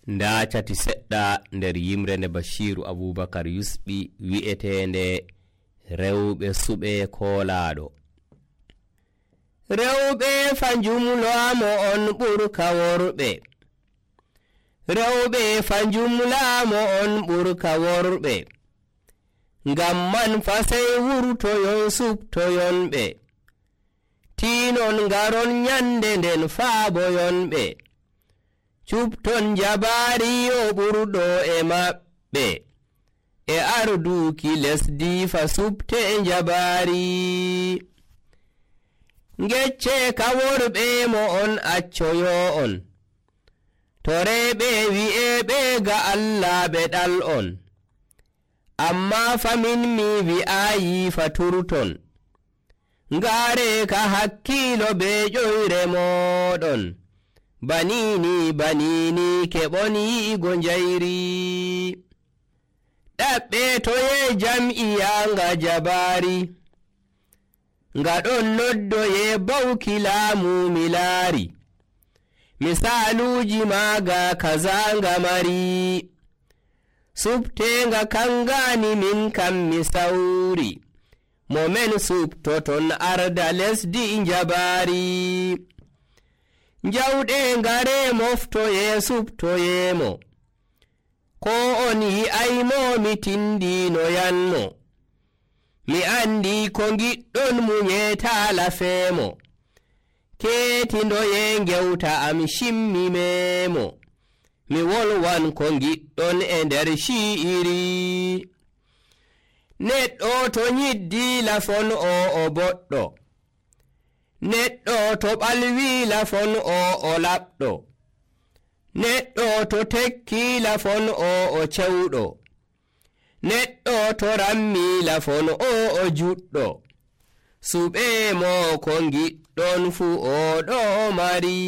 nda cati seɗɗa nder yimre nde Bashiru Abubakar yusɓi wi'etende rewɓe suɓe koolaɗo. Rewɓe fanjumlaamo on ɓurka worɓe, rewɓe fanjumlaamo on ɓurka worɓe, ngam man fa sey wurtoyon subtoyonɓe, tiinon ngaron nyande nden faaboyonɓe, cupton jabaari o ɓurɗo e maɓɓe, e arduki lesdi fa subte jabaari. Ngecce ka worɓe mo on accoyo on, to reɓe wi'eɓe ga Allah ɓe ɗal on, amma famin mi wi'ayi fa turton, ngaare ka hakkilo be ƴoyre moɗon, banini keɓon yi'igo njayri. Ɗaɓɓe toye jam'iya nga jabaari, nga ɗon noddoye bawki laamu mi laari, misaluji maaga kaza nga mari, subtenga kangani min kam mi sawri, mo men subtoton arda lesdi jabaari. Jawɗe ngare moftoye subtoyemo, ko on yi'aymo mi tindinoyanmo, mi andi ko giɗɗon munyeta lafemo, ketindoye ngewta am shimmimemo, mi wolwan ko giɗɗon e nder shi'iri. Neɗɗo to nyiddi lafon o boɗɗo, neɗɗo to ɓalwi lafon o laɓɗo, neɗɗo to tekki lafon o cewɗo, neɗɗo to rammi lafon o juɗɗo, suɓe mo ko giɗɗon fu o ɗo mari.